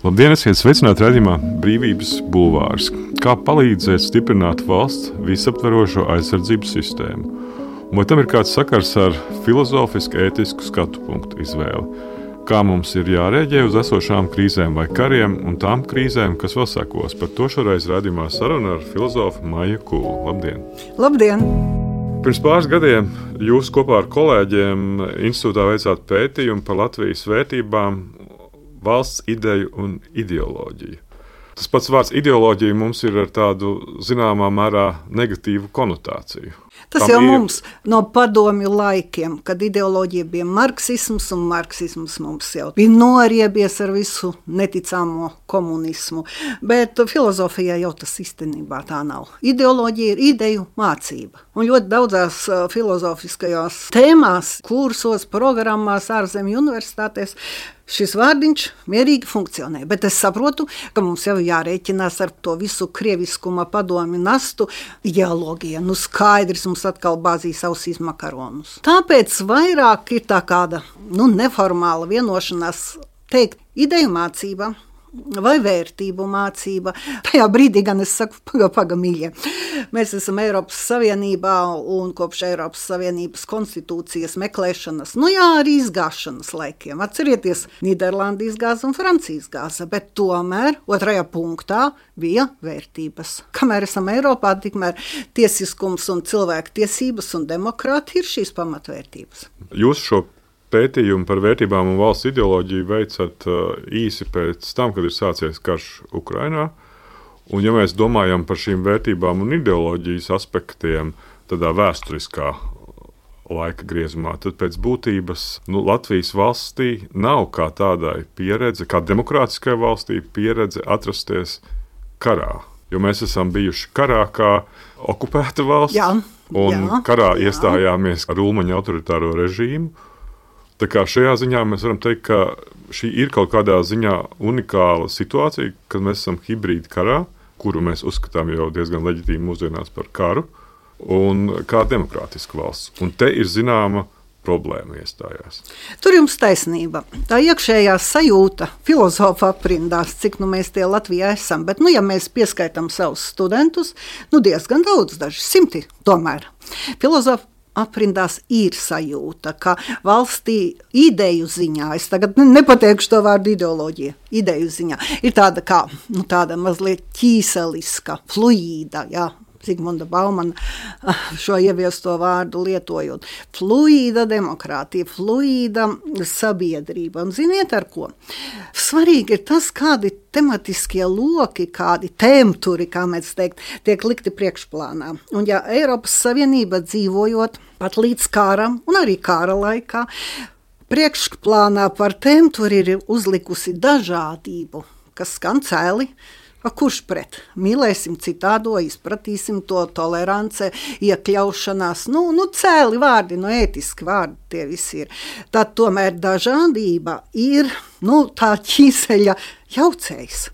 Labdien, esiet sveicināti raidījumā Brīvības bulvārs. Kā palīdzēt stiprināt valsts visaptverošo aizsardzības sistēmu? Un vai tam ir kāds sakars ar filozofisku, ētisku skatu punktu izvēli? Kā mums ir jārēģē uz esošām krīzēm vai kariem un tām krīzēm, kas vēl sekos? Par to šoreiz raidījumā saruna ar filozofu Maiju Kūlu. Labdien! Labdien! Pirms pāris gadiem jūs kopā ar kolēģiem institūtā veicāt pētījumu par Latvijas vērtībām, valsts ideju un ideoloģiju. Tas pats vārds ideoloģija mums ir ar tādu zināmā mērā negatīvu konotāciju. Tas jau mums no padomju laikiem, kad ideoloģija bija marksisms, un marksisms mums jau bija noriebies ar visu neticāmo komunismu. Bet filozofijā jau tas īstenībā tā nav. Ideoloģija ir ideju mācība. Un ļoti daudzās filozofiskajās tēmās, kursos, programmās, ārzemju universitātēs šis vārdiņš mierīgi funkcionē, bet es saprotu, ka mums jau jārēķinās ar to visu krieviskuma padomi nastu ideoloģiju. Nu skaidrs, mums atkal bāzīs ausīs makaronus. Tāpēc vairāk ir tā kāda neformāla vienošanās teikt ideju mācība vai vērtību mācība. Tajā brīdī gan es saku, paga mīļie. Mēs esam Eiropas Savienībā un kopš Eiropas Savienības konstitūcijas meklēšanas, arī izgāšanas laikiem. Atcerieties, Nīderlanda izgāza un Francija izgāza, bet tomēr otrajā punktā bija vērtības. Kamēr esam Eiropā, tikmēr tiesiskums un cilvēku tiesības un demokrātija ir šīs pamatvērtības. Jūs šo pētījumu par vērtībām un valsts ideoloģiju veicat īsi pēc tam, kad ir sācies karš Ukrainā. Un ja mēs domājam par šīm vērtībām un ideoloģijas aspektiem tādā vēsturiskā laika griezumā, tad pēc būtības Latvijas valstī nav kā tādai pieredze, kā demokrātiskai valstī pieredze atrasties karā. Jo mēs esam bijuši karā kā okupēta valsts, karā iestājāmies ar Ulmaņa autoritāro režīmu. Tā kā šajā ziņā mēs varam teikt, ka šī ir kaut kādā ziņā unikāla situācija, kad mēs esam hibrīda karā, kuru mēs uzskatām jau diezgan leģitīmi mūsdienās par karu, un kā demokrātiska valsts. Un te ir zināma problēma iestājās. Tur jums taisnība. Tā iekšējā sajūta filozofa aprindās, cik mēs tie Latvijā esam, bet ja mēs pieskaitam savus studentus, diezgan daudz, daži simti tomēr. Filozofa aprindās ir sajūta, ka valstī ideju ziņā, es tagad nepateikšu to vārdu ideoloģija, ideju ziņā, ir tāda kā, tāda mazliet ķīseliska, fluīda, Zigmunda Baumana šo ieviesto vārdu lietojot. Fluīda demokrātija, fluīda sabiedrība. Un ziniet ar ko? Svarīgi ir tas, kādi tematiskie loki, kādi tēmturi, kā mēs teikt, tiek likti priekšplānā. Un ja Eiropas Savienība dzīvojot pat līdz kāram un arī kāra laikā, priekšplānā par tēmturi ir uzlikusi dažādību, kas skan cēli. Kurš pret? Mīlēsim citādo, izpratīsim to tolerance, iekļaušanās, cēli vārdi, ētiski vārdi tie visi ir. Tad tomēr dažādība ir, tā ķīseļa jaucējs.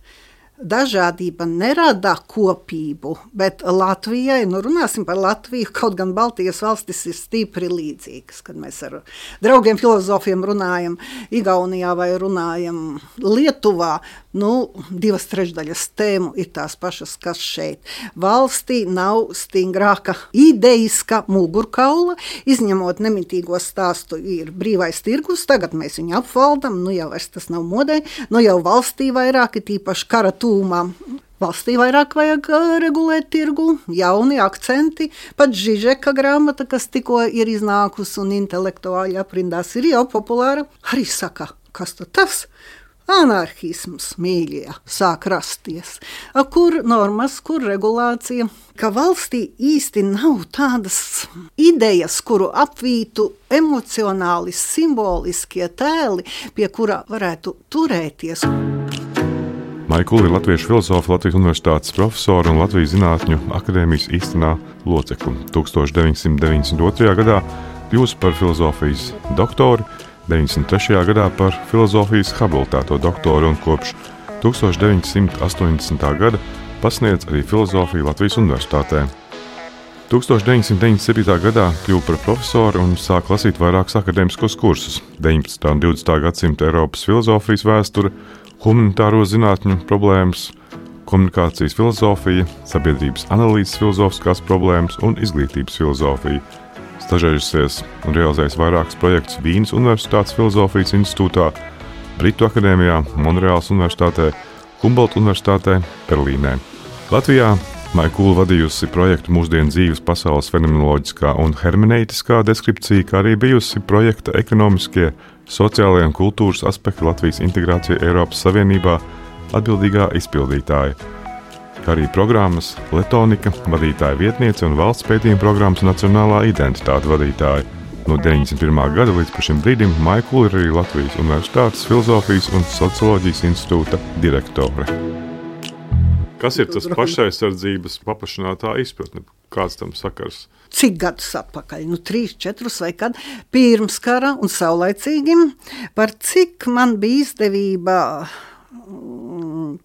Dažādība nerada kopību, bet Latvijai, runāsim par Latviju, kaut gan Baltijas valstis ir stipri līdzīgas, kad mēs ar draugiem filozofiem runājam Igaunijā vai runājam Lietuvā, 2/3 tēmu ir tās pašas, kas šeit. Valstī nav stingrāka ideiska mugurkaula, izņemot nemitīgo stāstu ir brīvais tirgus, tagad mēs viņu apvaldam, jau vairs tas nav modē, jau valstī vairāk, tīpaši kara tūmā. Valstī vairāk vajag regulēt tirgu, jauni akcenti, pat Žižeka grāmata, kas tikko ir iznākusi un intelektuāļi aprindās, ir jau populāra. Arī saka, kas tad tas? Anarhisms, mīļie, sāk rasties. Kur normas, kur regulācija? Ka valstī īsti nav tādas idejas, kuru apvītu emocionāli, simboliskie tēli, pie kura varētu turēties. Maija Kūla ir latviešu filozofa, Latvijas Universitātes profesora un Latvijas Zinātņu akadēmijas īstenā locekle. 1992. gadā kļūst par filozofijas doktoru, 93. gadā par filozofijas habilitēto doktoru un kopš 1980. gada pasniedz arī filozofiju Latvijas Universitātē. 1997. gadā kļuva par profesoru un sāka lasīt vairākus akadēmiskos kursus – 19. un 20. gadsimta Eiropas filozofijas vēsture, humanitāro zinātņu problēmas, komunikācijas filozofija, sabiedrības analīzes filozofiskās problēmas un izglītības filozofija. Stažējusies un realizējis vairākus projektus Vīnes Universitātes filozofijas institūtā, Britu akadēmijā, Monreāls Universitātē, Humboldt Universitātē, Berlīnē. Latvijā Maija Kūla vadījusi projektu Mūsdienu dzīves pasaules fenomenoloģiskā un hermeneitiskā deskripcija, kā arī bijusi projekta ekonomiskie, sociālie un kultūras aspekti Latvijas integrācija Eiropas Savienībā atbildīgā izpildītāja, kā arī programmas Letonika vadītāja vietniece un valsts pētījuma programmas Nacionālā identitāte vadītāja. No 91. gada līdz šim brīdim Maija Kūla ir arī Latvijas Universitātes filozofijas un socioloģijas institūta direktore. Kas ir tas pašaizsardzības paplašinātā izpratne? Kāds tam sakars? Cik gadus atpakaļ? 3, 4 vai kad? Pirms kara un saulaicīgi. Par cik man bija izdevība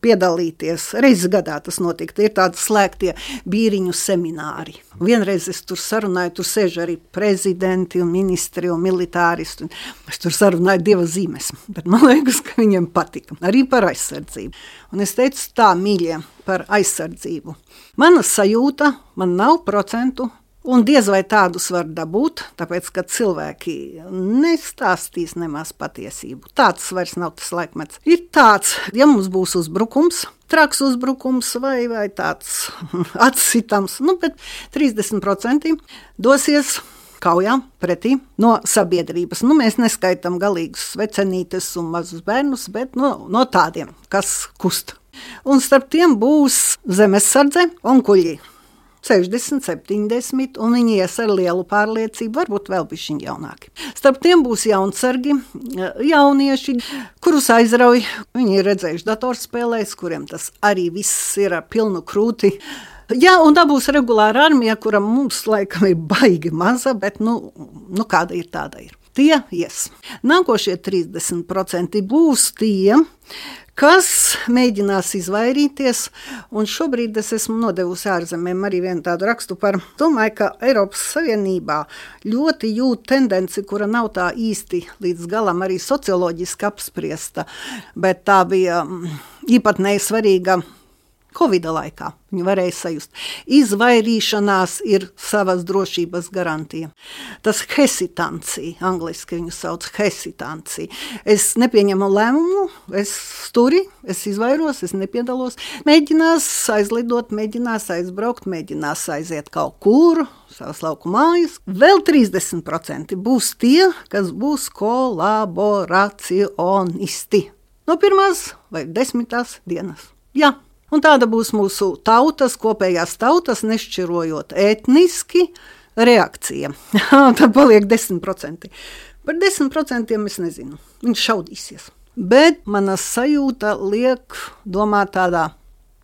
piedalīties. Reizes gadā tas notika. Ir tādi slēgtie bīriņu semināri. Vienreiz es tur sarunāju, tur sēž arī prezidenti un ministri un militāristi. Es tur sarunāju 2 zīmes, bet man liekas, ka viņiem patika. Arī par aizsardzību. Un es teicu tā, mīļie, par aizsardzību. Mana sajūta, man nav procentu, un diez vai tādus var dabūt, tāpēc, ka cilvēki nestāstīs nemaz patiesību. Tāds vairs nav tas laikmets. Ir tāds, ja mums būs uzbrukums, traks uzbrukums vai tāds atsitams, bet 30% dosies kaujā pretī no sabiedrības. Mēs neskaitām galīgus svecenītes un mazus bērnus, bet no tādiem, kas kust. Un starp tiem būs zemesardze un kuļi. 60, 70, un viņi ies ar lielu pārliecību, varbūt vēl bišķiņ jaunāki. Starp tiem būs jaunsargi, jaunieši, kurus aizrauj. Viņi ir redzējuši datorspēlēs, kuriem tas arī viss ir pilnu krūti. Jā, un tā būs regulāra armija, kura mums laikam ir baigi maza, bet kāda ir, tāda ir. Tie ies. Nākošie 30% būs tie, kas mēģinās izvairīties, un šobrīd es esmu nodevusi ārzemēm arī vienu tādu rakstu par, domāju, ka Eiropas Savienībā ļoti jūt tendenci, kura nav tā īsti līdz galam arī socioloģiski apspriesta, bet tā bija īpatnēji svarīga Covida laikā. Viņi varēja sajust. Izvairīšanās ir savas drošības garantija. Tas hesitancija, angliski viņu sauc hesitancija. Es nepieņemu lēmumu, es izvairos, es nepiedalos. Mēģinās aizlidot, mēģinās aizbraukt, mēģinās aiziet kaut kur, savas lauku mājas. Vēl 30% būs tie, kas būs kolaboracionisti. No 1. vai 10. dienas. Jā. Un tāda būs mūsu tautas, kopējās tautas, nešķirojot etniski, reakcija. Tad paliek 10%. Par 10% es nezinu. Viņš šaudīsies. Bet mana sajūta liek domāt tādā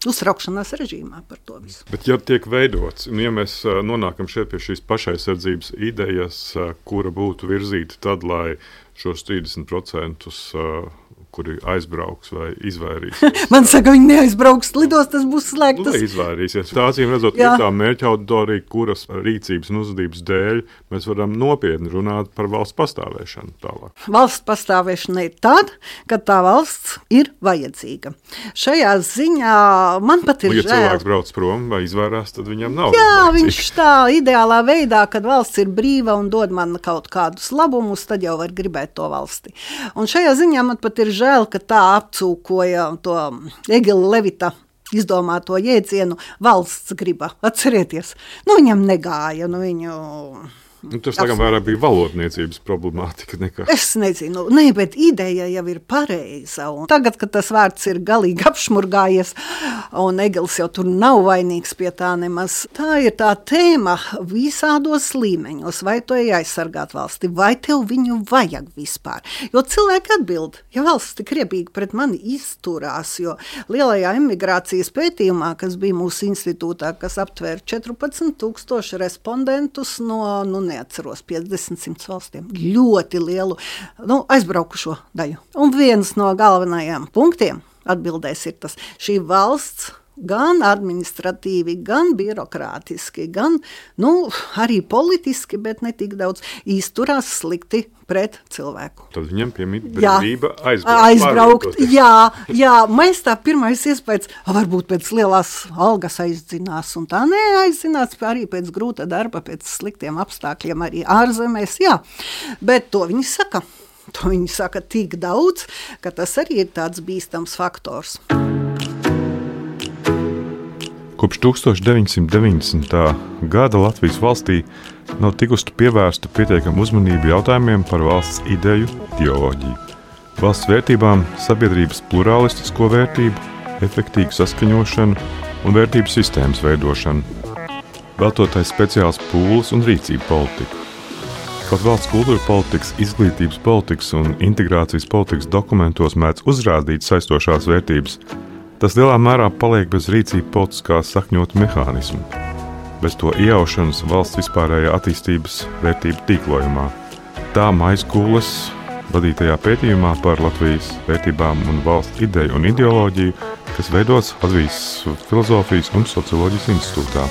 uztraukšanās režīmā par to visu. Bet ja tiek veidots, un ja mēs nonākam šeit pie šīs pašaizsardzības idejas, kura būtu virzīta tad, lai šos 30% kuri aizbrauks vai izvairīsies. Man saka, viņi neaizbrauks, lidos, tas būs slēgtas. Izvairīsies. Tā acīm redzot, ir tā mērķa auditorija, kuras rīcības un uzvedības dēļ mēs varam nopietni runāt par valsts pastāvēšanu tālāk. Valsts pastāvēšana ir tad, kad tā valsts ir vajadzīga. Šajā ziņā man pat ir žēl. Ja cilvēks brauc prom vai izvairās, tad viņam nav. Jā, viņš tā ideālā veidā, kad valsts ir brīva un dod man kaut kādus labumus, tad jau var gribēt to valsti. Un šajā ziņā man pat ir žēl, ka tā apcūkoja to Egila Levita izdomāto jēdzienu valsts griba. Atcerieties, viņam negāja, viņu... Tas tagad vairāk bija valodniecības problemātika nekā. Es nezinu, bet ideja jau ir pareiza. Un tagad, kad tas vārds ir galīgi apšmurgājies, un Egils jau tur nav vainīgs pie tā nemaz, tā ir tā tēma visādos līmeņos. Vai tu ej aizsargāt valsti, vai tev viņu vajag vispār? Jo cilvēki atbild, ja valsts tik riebīgi pret mani izturās, jo lielajā emigrācijas pētījumā, kas bija mūsu institūtā, kas aptvēra 14,000 respondentus no, neatceros, 50-100 valstiem, ļoti lielu aizbraukušo daļu. Un viens no galvenajiem punktiem atbildēs ir tas, šī valsts gan administratīvi, gan birokrātiski, gan arī politiski, bet ne tik daudz izturās slikti pret cilvēku. Tad viņam piemīt brīvība aizbraukt. Jā, mēs tā pirmais iespējas, varbūt pēc lielās algas aizdzinās, un tā neaizdzinās arī pēc grūta darba, pēc sliktiem apstākļiem arī ārzemēs, jā. Bet to viņi saka. To viņi saka tik daudz, ka tas arī ir tāds bīstams faktors. Kopš 1990. gada Latvijas valstī nav tikusi pievērsta pietiekama uzmanība jautājumiem par valsts ideju, ideoloģiju, valsts vērtībām, sabiedrības pluralistisko vērtību, efektīvu saskaņošanu un vērtību sistēmas veidošanu, veltotais speciāls pūles un rīcību politiku. Kaut valsts kultūra politikas, izglītības politikas un integrācijas politikas dokumentos mēdz uzrādīt saistošās vērtības, tas lielā mērā paliek bez rīcība politiskā sakņotu mehānismu, bez to iejaušanas valsts vispārējā attīstības vērtību tīklojumā. Tā Maizkules vadītajā pētījumā par Latvijas vērtībām un valsts ideju un ideoloģiju, kas veidots Latvijas filozofijas un socioloģijas institūtā.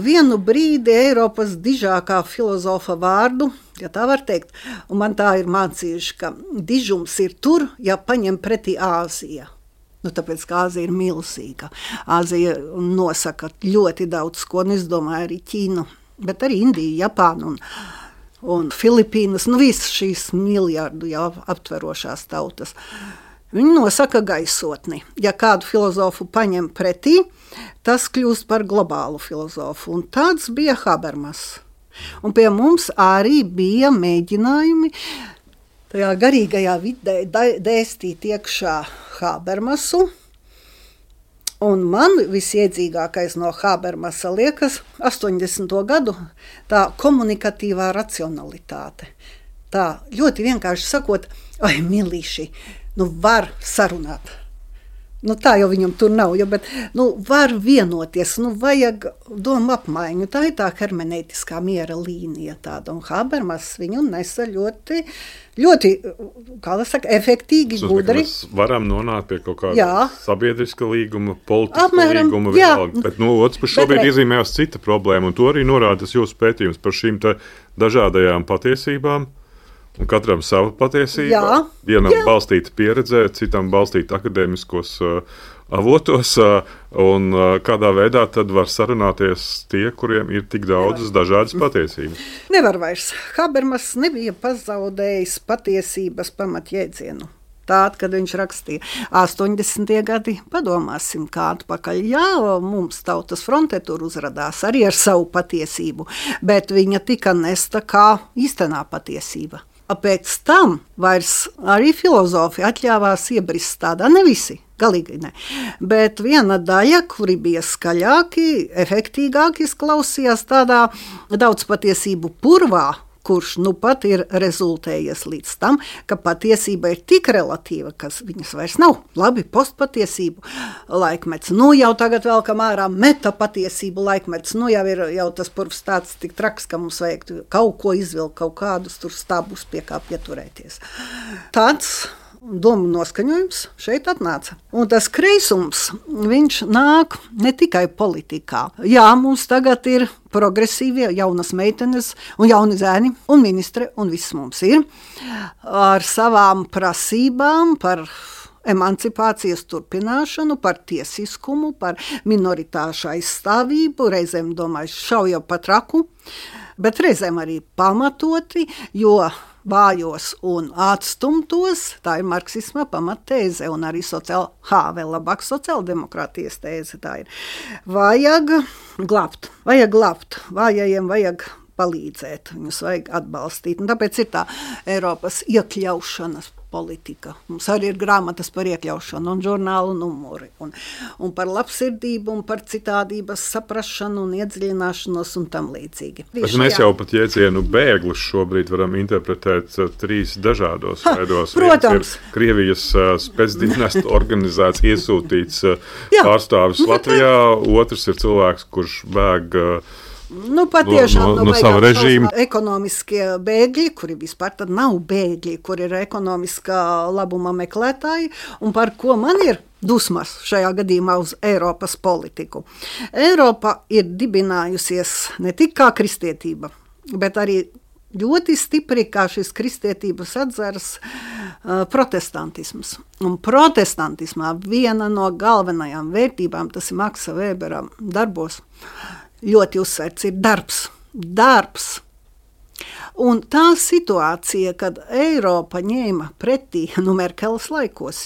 Vienu brīdi Eiropas dižākā filozofa vārdu, ja tā var teikt, un man tā ir mācījuši, ka dižums ir tur, ja paņem pretī Āzija. Tāpēc, ka Āzija ir milzīga. Āzija nosaka ļoti daudz ko, un es domāju arī Ķīnu, bet arī Indiju, Japānu un Filipīnas, visas šīs miljardu jau aptverošās tautas. Viņi nosaka gaisotni. Ja kādu filozofu paņem pretī, tas kļūst par globālu filozofu. Un tāds bija Habermas. Un pie mums arī bija mēģinājumi tajā garīgajā vidē dēstīt iekšā Habermasu. Un man visiedzīgākais no Habermasa liekas 80. gadu tā komunikatīvā racionalitāte. Tā ļoti vienkārši sakot, milīši, var sarunāt. Tā jau viņam tur nav, bet var vienoties, vajag domu apmaiņu. Tā ir tā hermeneitiskā miera līnija tāda, un Habermas viņu nesa ļoti, ļoti, kā lai saka, efektīgi, gudri. Mēs varam nonākt pie kaut kāda sabiedriska līguma, politiska līguma, bet otrs puses šobrīd izzīmējās cita problēma, un to arī norāda jūsu pētījums par šīm dažādajām patiesībām. Un katram sava patiesība, vienam balstīta pieredzē, citam balstīta akadēmiskos avotos, un kādā veidā tad var sarunāties tie, kuriem ir tik daudzas dažādas patiesības. Nevar vairs. Habermas nebija pazaudējis patiesības pamatjēdzienu. Tād, kad viņš rakstīja 80. gadi, padomāsim, kā atpakaļ. Jā, mums Tautas fronte tur uzradās arī ar savu patiesību, bet viņa tika nesta kā īstenā patiesība. Pēc tam vairs arī filozofi atļāvās iebrist tādā, ne visi, galīgi ne, bet viena daļa, kuri bija skaļāki, efektīgāki izklausījās tādā daudz patiesību purvā, kurš pat ir rezultējies līdz tam, ka patiesība ir tik relatīva, ka viņas vairs nav. Labi, postpatiesību laikmets. Jau tagad vēl kam ārā metapatiesību laikmets. Jau ir tas purvs tāds tik traks, ka mums vajag kaut ko izvilkt, kaut kādus tur stabus pie kā pieturēties. Tāds domu noskaņojums šeit atnāca. Un tas kreisums, viņš nāk ne tikai politikā. Jā, mums tagad ir progresīvie, jaunas meitenes un jauni zēni un ministre, un viss mums ir ar savām prasībām par emancipācijas turpināšanu, par tiesiskumu, par minoritāšu aizstāvību, reizēm, domāju, šauja pa traku, bet reizēm arī pamatoti, jo vājos un atstumtos, tā ir marksisma pamattēze un arī vēl labāk sociāldemokrātijas tēze tā ir. Vajag glābt, vājajiem vajag palīdzēt, viņus vajag atbalstīt. Un tāpēc ir tā Eiropas iekļaušanas politika. Mums arī ir grāmatas par iekļaušanu un žurnālu numuri. Un par labsirdību un par citādības saprašanu un iedziļināšanos un tam līdzīgi. Bet mēs jau pat jēdzienu bēglis šobrīd varam interpretēt trīs dažādos veidos. Protams. Krievijas spēcdienestu organizēts, iesūtīts pārstāvis Latvijā. Otrs ir cilvēks, kurš bēg Patiešām no sava režīma. Ekonomiskie bēgļi, kuri vispār tad nav bēgļi, kuri ir ekonomiskā labuma meklētāji, un par ko man ir dusmas šajā gadījumā uz Eiropas politiku. Eiropa ir dibinājusies ne tik kā kristietība, bet arī ļoti stipri kā šis kristietības atzars protestantisms. Un protestantismā viena no galvenajām vērtībām, tas ir Maksa Vēbera darbos, ļoti uzsvērts ir darbs. Darbs. Un tā situācija, kad Eiropa ņēma pretī, Merkeles laikos,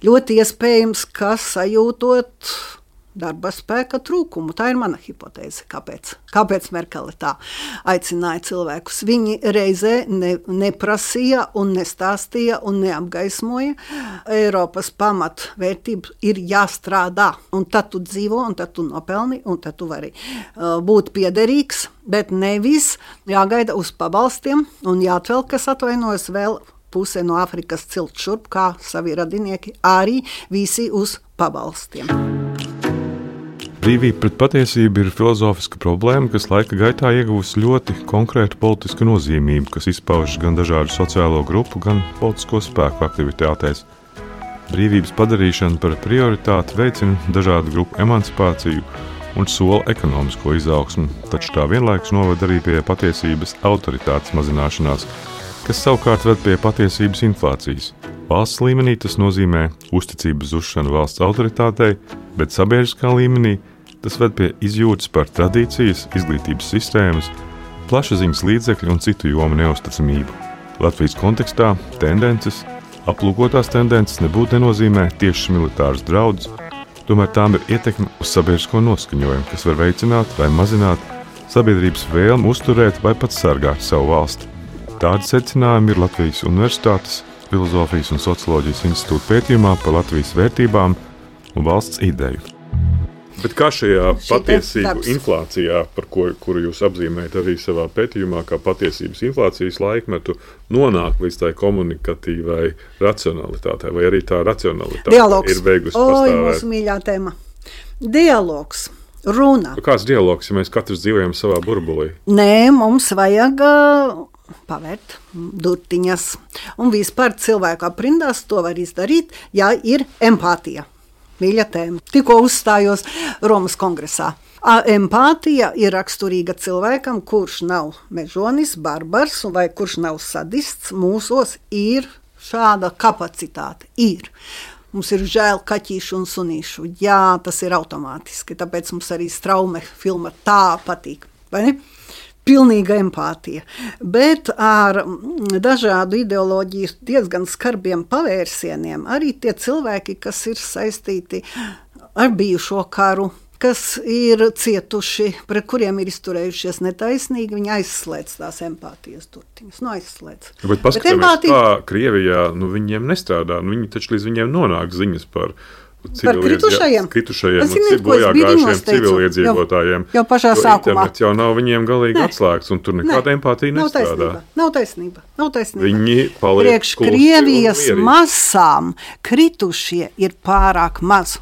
ļoti iespējams, ka sajūtot darba spēka trūkumu. Tā ir mana hipotēze. Kāpēc Merkele tā aicināja cilvēkus? Viņi reizē neprasīja un nestāstīja un neapgaismoja. Eiropas pamatvērtība ir jāstrādā. Un tad tu dzīvo, un tad tu nopelni, un tad tu vari būt piederīgs, bet nevis jāgaida uz pabalstiem un jāatvēl, kas atvainojas vēl puse no Āfrikas cilt šurp, kā savi radinieki, arī visi uz pabalstiem. Brīvība pret patiesību ir filozofiska problēma, kas laika gaitā ieguvusi ļoti konkrētu politisku nozīmību, kas izpaužas gan dažādu sociālo grupu, gan politisko spēku aktivitātēs. Brīvības padarīšana par prioritāti veicina dažādu grupu emancipāciju un sola ekonomisko izaugsmu, taču tā vienlaikus noved arī pie patiesības autoritātes mazināšanās, kas savukārt ved pie patiesības inflācijas. Valsts līmenī tas nozīmē uzticības zušanu valsts autoritātei, bet sabiedriskā līmenī tas ved pie izjūtas par tradīcijas, izglītības sistēmas, plašsaziņas līdzekļu un citu jomu neusticamību. Latvijas kontekstā tendences, aplūkotās tendences nebūtu nenozīmē tiešas militāras draudus, tomēr tām ir ietekme uz sabiedrisko noskaņojumu, kas var veicināt vai mazināt sabiedrības vēlmu uzturēt vai pat sargāt savu valsti. Tādi secinājumi ir Latvijas Universitātes Filozofijas un socioloģijas institūta pētījumā par Latvijas vērtībām un valsts ideju. Bet kā šajā patiesību inflācijā, par kuru jūs apzīmējat arī savā pētījumā, kā patiesības inflācijas laikmetu, nonāk līdz tai komunikatīvai racionalitātei, vai arī tā racionalitāte ir beigusi pastāvēt? Mūsu mīļā tēma. Dialogs, runa. Kāds dialogs, ja mēs katrs dzīvojam savā burbulī? Nē, mums vajag pavērt durtiņas. Un vispār cilvēku aprindās to var izdarīt, ja ir empātija. Mīļa tēma. Tikko uzstājos Romas kongresā. Empātija ir raksturīga cilvēkam, kurš nav mežonis, barbars vai kurš nav sadists. Mūsos ir šāda kapacitāte. Mums ir žēl kaķīšu un sunīšu. Jā, tas ir automātiski, tāpēc mums arī Straume filma tā patīk. Vai ne? Pilnīga empātija, bet ar dažādu ideoloģiju diezgan skarbiem pavērsieniem arī tie cilvēki, kas ir saistīti ar bijušo karu, kas ir cietuši, pret kuriem ir izturējušies netaisnīgi, viņi aizslēdz tās empātijas durtiņas. Aizslēdz. Bet paskatāmies, kā Krievijā viņiem nestrādā, viņi taču līdz viņiem nonāk ziņas par kritušajiem un bojāgājušiem civiliedzīvotājiem. Jau pašā sākumā. Internets jau nav viņiem galīgi atslēgts, un tur nekāda empātija nestrādā. Nav taisnība. Viņi paliek priekš Krievijas masām kritušie ir pārāk maz.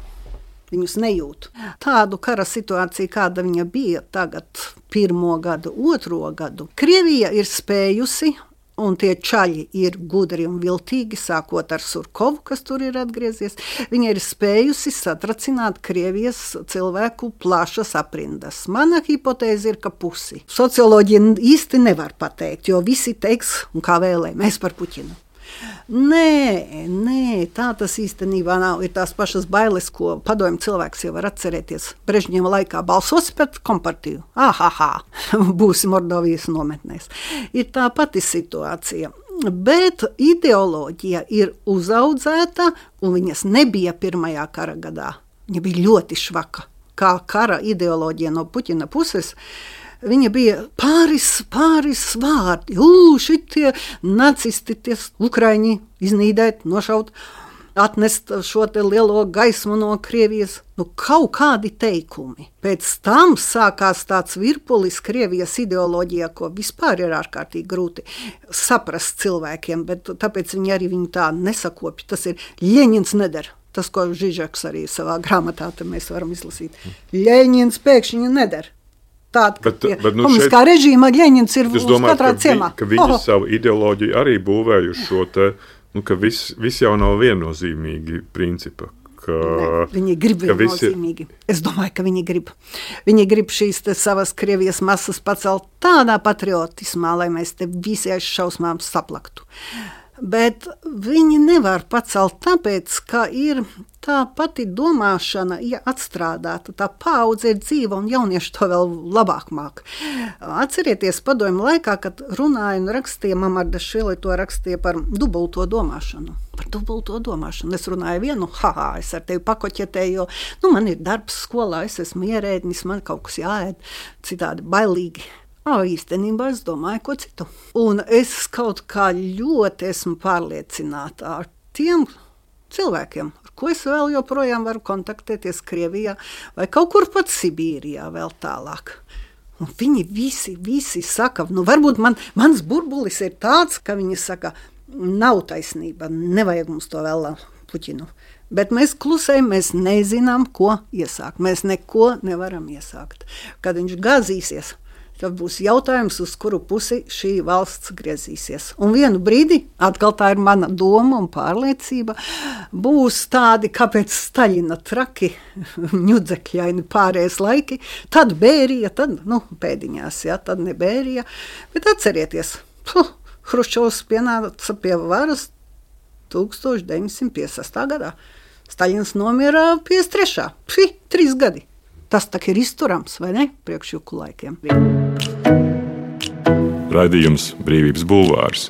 Viņus nejūt. Tādu kara situāciju, kāda viņa bija tagad 1. gadu, 2. gadu, Krievija ir spējusi, un tie čaļi ir gudri un viltīgi, sākot ar Surkovu, kas tur ir atgriezies. Viņa ir spējusi satracināt Krievijas cilvēku plašas aprindas. Mana hipotēze ir, ka pusi. Socioloģija īsti nevar pateikt, jo visi teiks, un kā vēlē, mēs par Puķinu. Nē, tā tas īstenībā nav. Ir tās pašas bailes, ko padomju cilvēks jau var atcerēties. Brežņeva laikā balsos pret kompartiju. Būsi Mordovijas nometnēs. Ir tā pati situācija. Bet ideoloģija ir uzaudzēta, un viņas nebija 1. kara gadā. Viņa bija ļoti švaka. Kā kara ideoloģija no Puķina puses, viņa bija pāris vārdi. Šitie nacisti, tie ukraiņi iznīdēt, nošaut, atnest šo te lielo gaismu no Krievijas. Kaut kādi teikumi. Pēc tam sākās tāds virpulis Krievijas ideoloģijā, ko vispār ir ārkārtīgi grūti saprast cilvēkiem, bet tāpēc viņi arī viņu tā nesakopja. Tas ir Ļeņins neder. Tas, ko Žižeks arī savā grāmatā mēs varam izlasīt. Ļeņins pēkšņi neder. tāda, ka komunistiskā režīma Ļeņins ir uz katrā ciemā. Ka viņi savu ideoloģiju arī būvējuši šo te, ka viss jau nav viennozīmīgi principa. Viņi grib viennozīmīgi. Es domāju, ka viņi grib. Viņi grib šīs savas Krievijas masas pacelt tādā patriotismā, lai mēs te visi aiz šausmām saplaktu. Bet viņi nevar pacelt tāpēc, ka ir tā pati domāšana atstrādāta, tā paudze ir dzīva un jaunieši to vēl labāk māk. Atcerieties padomju laikā, kad runāja un rakstīja, Mamardašvili to rakstīja par dubulto domāšanu. Par dubulto domāšanu. Es runāju vienu, es ar tevi pakoķetēju, jo man ir darbs skolā, es esmu ierēdnis, man kaut kas jāēd, citādi bailīgi. Īstenībā es domāju, ko citu. Un es kaut kā ļoti esmu pārliecināta ar tiem cilvēkiem, ar ko es vēl joprojām varu kontaktēties Krievijā vai kaut kur pat Sibīrijā vēl tālāk. Un viņi visi saka, varbūt mans burbulis ir tāds, ka viņi saka, nav taisnība, nevajag mums to vēl Puķinu. Bet mēs klusējam, mēs nezinām, ko iesākt. Mēs neko nevaram iesākt. Kad viņš gāzīsies, tad būs jautājums, uz kuru pusi šī valsts griezīsies. Un vienu brīdi, atkal tā ir mana doma un pārliecība, būs tādi, kāpēc Staļina traki, ņudzekļaini pārējais laiki, tad Bērija, tad, pēdiņās, tad ne Bērija. Bet atcerieties, Hruščovs pienāca pie varas 1956. gadā. Staļins nomira 53. 3 gadi. Tas tak ir izturams, vai ne, priekš juku laikiem. Raidījums Brīvības bulvārs.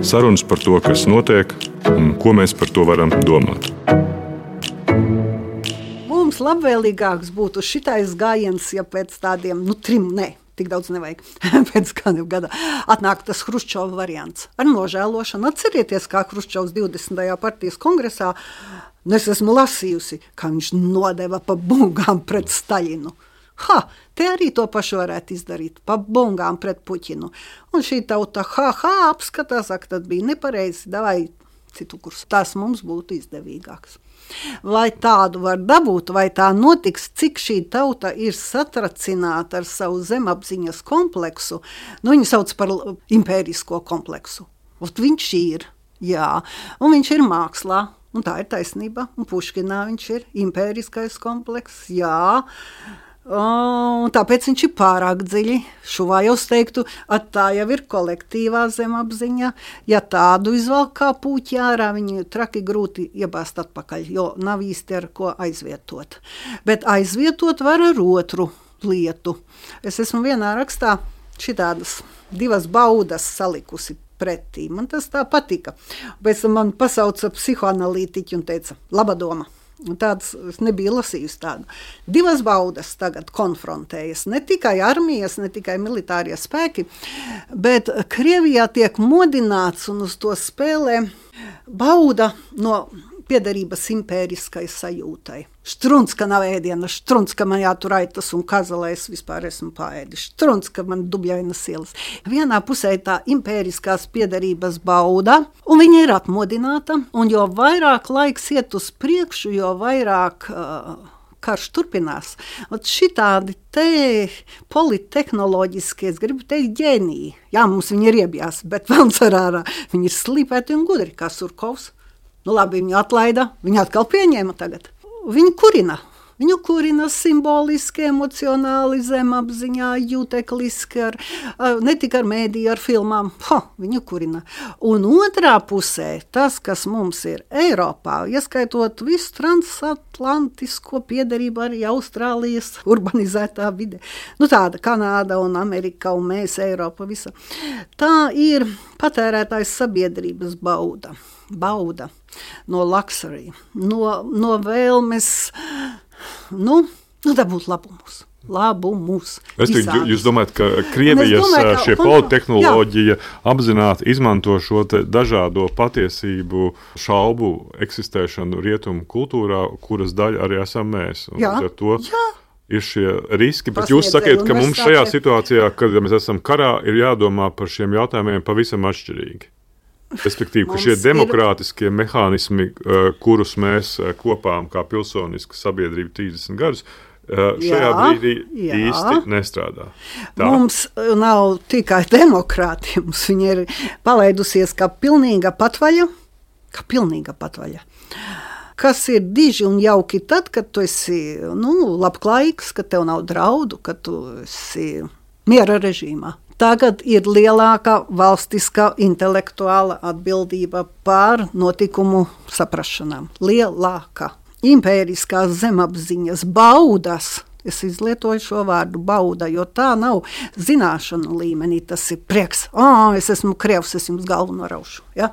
Sarunas par to, kas notiek un ko mēs par to varam domāt. Mums labvēlīgāks būtu šitais gājiens, ja pēc tādiem, 3, tik daudz nevajag, pēc kādiem gada atnāk tas Hruščova variants. Ar nožēlošanu atcerieties, kā Hruščovs 20. partijas kongresā, es esmu lasījusi, kā viņš nodeva pa bungām pret Staļinu. Te arī to pašu varētu izdarīt, pa bungām pret Puķinu. Un šī tauta, apskatās, tad bija nepareizi, davai citu kursu. Tas mums būtu izdevīgāks. Vai tādu var dabūt, vai tā notiks, cik šī tauta ir satracināta ar savu zemapziņas kompleksu, viņu sauc par impērisko kompleksu. Viņš ir, jā, un viņš ir mākslā, un tā ir taisnība, un Puškinā viņš ir impēriskais komplekss, jā, un tāpēc viņš ir pārāk dziļi. Šuvājos teiktu, tā jau ir kolektīvā zemapziņa. Ja tādu izvelk kā puķi ārā, viņu traki grūti iebāzt atpakaļ, jo nav īsti ar ko aizvietot. Bet aizvietot var ar otru lietu. Es esmu vienā rakstā šitādas 2 baudas salikusi pretī. Man tas tā patika. Pēc tam man pasauca psihoanalītiķi un teica, laba doma. Tāds es nebiju lasījusi tādu. 2 baudas tagad konfrontējas. Ne tikai armijas, ne tikai militārie spēki, bet Krievijā tiek modināts un uz to spēlē bauda no piederības impēriskai sajūtai. Štrunc, ka nav ēdiena, štrunc, ka man jātur aitas un kazalē, es vispār esmu paēdis, štrunc, ka man dubļainas ielas. Vienā pusē tā impēriskās piederības bauda, un viņa ir atmodināta, un jo vairāk laiks iet uz priekšu, jo vairāk karš turpinās. Šitādi te politehnoloģiskie, es gribu teikt, ģēniji. Jā, mums viņi ir iebjās, bet velns ar ārā. Viņi ir slīpēti un gudri, kā Surkovs. Labi, viņu atlaida, viņu atkal pieņēma tagad. Viņu kurina simboliski, emocionāli, zemapziņā, jūtekliski, ne tikai ar mēdīju, ar filmām. Viņu kurina. Un otrā pusē, tas, kas mums ir Eiropā, ieskaitot visu transatlantisko piederību arī Austrālijas urbanizētā vide. Tāda Kanāda un Amerika un mēs, Eiropa, visa. Tā ir patērētājs sabiedrības bauda no luxury, no vēlmes, dabūt labumus. Jūs domājat, ka Krievijas šie politehnoloģija apzināti izmanto šo dažādo patiesību šaubu eksistēšanu rietumu kultūrā, kuras daļa arī esam mēs. Un ar to ir šie riski, bet jūs sakiet, ka mums šajā situācijā, kad mēs esam karā, ir jādomā par šiem jautājumiem pavisam atšķirīgi. Respektīvi, ka šie demokrātiskie mehānismi, kurus mēs kopām kā pilsoniska sabiedrība 30 gadus, šajā brīdī īsti nestrādā. Tā. Mums nav tikai demokrātija, mums viņa ir palaidusies kā pilnīga patvaļa, kas ir diži un jauki tad, kad tu esi labklājīgs, kad tev nav draudu, kad tu esi miera režīmā. Tagad ir lielāka valstiskā intelektuāla atbildība pār notikumu saprašanām. Lielāka. Impēriskās zemapziņas baudas. Es izlietoju šo vārdu bauda, jo tā nav zināšanu līmenī. Tas ir prieks. Es esmu krievs, es jums galvu noraušu. Ja?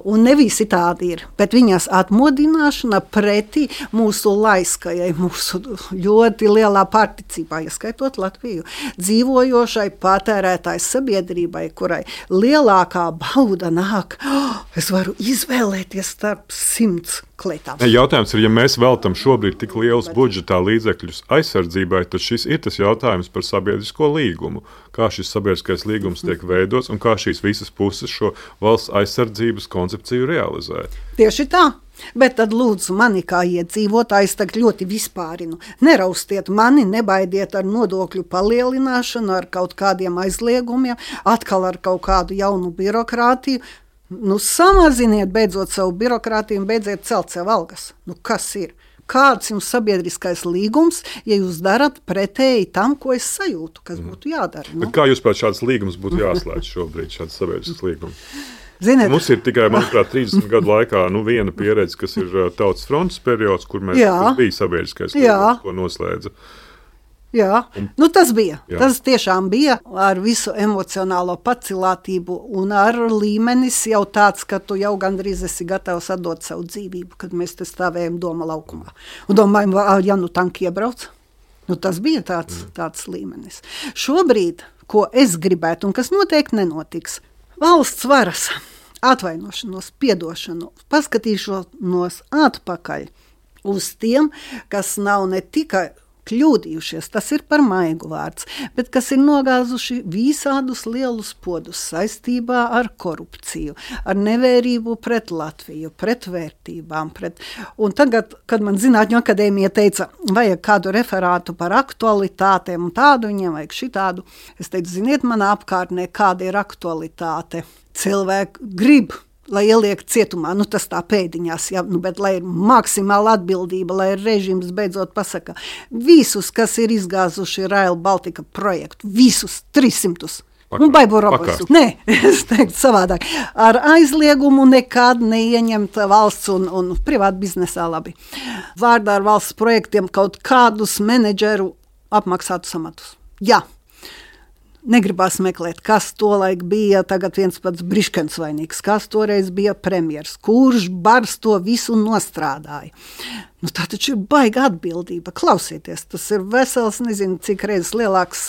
Un ne visi tādi ir. Bet viņas atmodināšana pretī mūsu laiskajai, mūsu ļoti lielā particībā, ieskaitot Latviju, dzīvojošai patērētājas sabiedrībai, kurai lielākā bauda nāk. Es varu izvēlēties starp 100 klietām. Jautājums ir, ja mēs veltam šobrīd tik lielus budžetā līdzekļus aizsardzībai, tad šis ir tas jautājums par sabiedrisko līgumu. Kā šis sabiedriskais līgums tiek veidots un kā šīs visas puses šo valsts aizsardzības koncepciju realizē. Tieši tā. Bet tad lūdzu mani kā iedzīvotājs tagad ļoti vispārinu. Neraustiet mani, nebaidiet ar nodokļu palielināšanu, ar kaut kādiem aizliegumiem, atkal ar kaut kādu jaunu birokrātiju. Samaziniet beidzot savu birokrātiju un beidziet celt sev algas. Kas ir? Kāds jums sabiedriskais līgums, ja jūs darat pretēji tam, ko es sajūtu, kas būtu jādara? Bet kā jūs pēc šāds līgums būtu jāslēdz šobrīd, šāds sabiedrisks līgums? Ziniet, mums ir tikai, manuprāt, 30 gadu laikā viena pieredze, kas ir Tautas frontes periods, kur tas bija sabiedriskais līgums, ko noslēdza. Jā, tas bija. Jā. Tas tiešām bija ar visu emocionālo pacilātību un ar līmenis jau tāds, ka tu jau gandrīz esi gatavs atdot savu dzīvību, kad mēs te stāvējam Doma laukumā. Un domājam, ja tanki iebrauc, tas bija tāds līmenis. Šobrīd, ko es gribētu un kas noteikti nenotiks, valsts varas atvainošanos, piedošanu, paskatīšanos atpakaļ uz tiem, kas nav ne tikai kļūdījušies, tas ir par maigu vārds, bet kas ir nogāzuši visādus lielus podus saistībā ar korupciju, ar nevērību pret Latviju, pret vērtībām. Un tagad, kad man Zinātņu akadēmija teica, vajag kādu referātu par aktualitātēm un tādu, viņiem vajag šitādu, es teicu, ziniet, manā apkārtnē, kāda ir aktualitāte. Cilvēki grib, lai ieliek cietumā, tas tā pēdiņās, bet lai ir maksimāla atbildība, lai režīms beidzot pasaka, visus, kas ir izgāzuši Rail Baltica projektu, visus 300. Baibu robotus. Nē, es teiktu savādāk. Ar aizliegumu nekad neieņemt valsts un privātu biznesā labi. Vārdā ar valsts projektiem kaut kādus menedžeru apmaksātus amatus. Jā. Negribās meklēt, kas tolaik bija tagad viens pats Briškens vainīgs, kas toreiz bija premjers, kurš bars to visu nostrādāja. Tā taču ir baiga atbildība. Klausieties, tas ir vesels, nezinu, cik reizes lielāks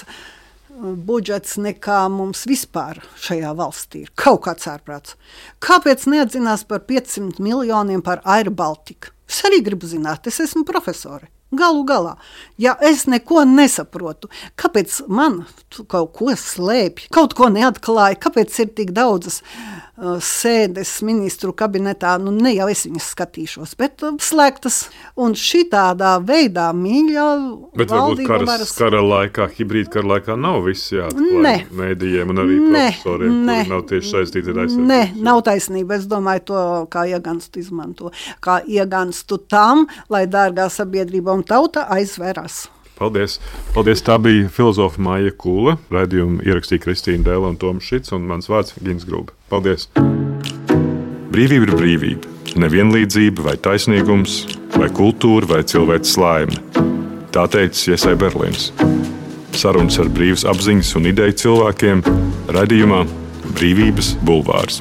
budžets nekā mums vispār šajā valstī ir. Kaut kāds ārprāts. Kāpēc neatzinās par 500 miljoniem par Air Baltica? Es arī gribu zināt, es esmu profesori. Galu galā, ja es neko nesaprotu, kāpēc man kaut ko slēpj, kaut ko neatklāja, kāpēc ir tik daudzas sēdes ministru kabinetā, ne jau es viņas skatīšos, bet slēgtas un šitādā veidā mīļa valdība varas. Bet varbūt kara laikā, hibrīda kara laikā nav viss jāatklāj mēdījiem un arī profesoriem, kuri nav tieši saistīti ar aizsardzību. Nē, nav taisnība. Es domāju to, kā ieganstu izmanto. Kā ieganstu tam, lai dārgā sabiedrība un tauta aizvērās. Paldies. Paldies. Tā bija filozofa Maija Kūle. Raidījumu ierakstīja Kristīna Dēla un Toms Šits un mans vārds Gins Grube. Paldies. Brīvība ir brīvība. Nevienlīdzība vai taisnīgums, vai kultūra vai cilvēks laime. Tā teica Iesai Berlīns. Sarunas ar brīvas apziņas un ideju cilvēkiem raidījumā Brīvības bulvārs.